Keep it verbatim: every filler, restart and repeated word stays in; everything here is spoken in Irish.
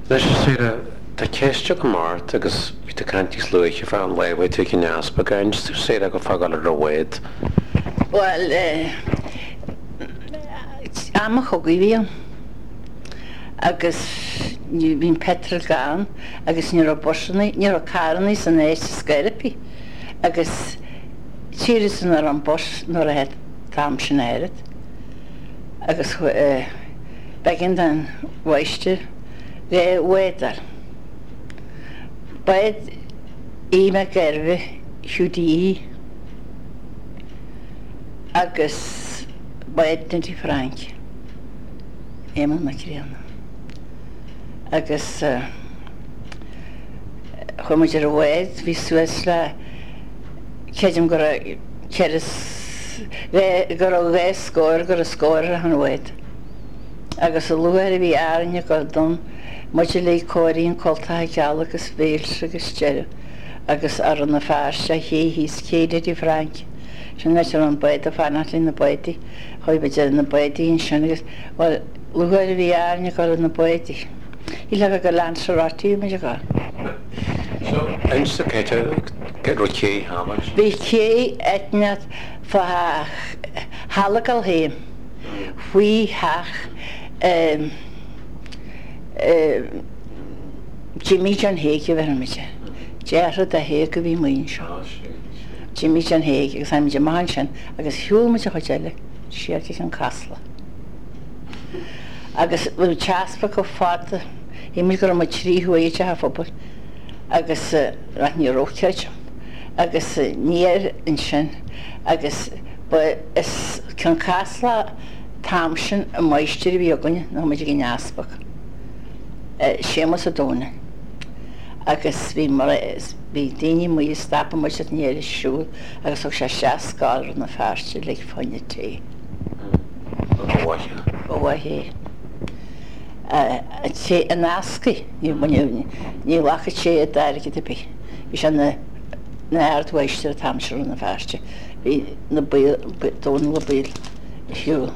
Anois, Sarah, tá ceist agam ort agus bhí tú ag caint níos luaithe fá an lá a bhfuair tú ag an easpag. Ar inis tú Sarah go fágáil ar an bhád? Bhuel, eh, am an chogaidh a bhí ann agus ní bhí an petrol gann agus ní raibh busanna, ní raibh carranna san áit ar scor ar bith agus tíre san ar an bus nuair a an t-am sin oiread agus eh, b'éigean don mháistir dhá bhád a fháil. Bád Aodh Mac Gairbheith Q D E agus bád Dinty Frank Éamonn Mac Grianna. Agus eh, chuaigh muid ar an bhád, bhí suas le creidim go raibh ceithre go raibh dhá scór go raibh scór ar an bhád. Agus a luaithe a bhí Árainn ag dul dom, muid uilig cóirithe in cultacha geala agus béilte agus deireadh agus ar na Feirste ché thíos cé Dinty Frank. Sin áit a raibh an bád ag fanacht le na bádaí, chuaigh muid ar na bádaí ansin agus bhuel luaithe a bhí Árainn ag dul ar na bádaí. Shílfeá gur Lanzarote a bhí muid ag dul. So, inis dom cé raibh cé thall? Bhí cé eitneat fá Halagal féin faoi theach um, um, Jimmy John Haig a bheir muid. Deartha de Haig a bhí muin seo. Jimmy John Haig agus tháinig muid amach ansin agus shiúil muid a chuid eile siar go an Casla. Agus bhí teaspa go fada, shíl muid go raibh muid trí huaire i dteach an phobail agus uh, ní raibh creidim. Agus uh, níor ansin agus ba is Cionn Caslach t-am sin an máistir a bhí againne nó muid ag an easpag. Séamus Ó Domhnaill. Agus bhí mar bhí daoine mu stapa muid at ní siúl agus thug sé isteach scáil Rann na Feirste le fáinne tae. Ba mhaith. Ba mhaith é. An eascaí ní ghlacfadh sé i d'airgead ar bith. Bhí sé na na ardmháistir an t-am sin Rann na Feirste. Bhí na Dónall Ó Baoill ar shiúl.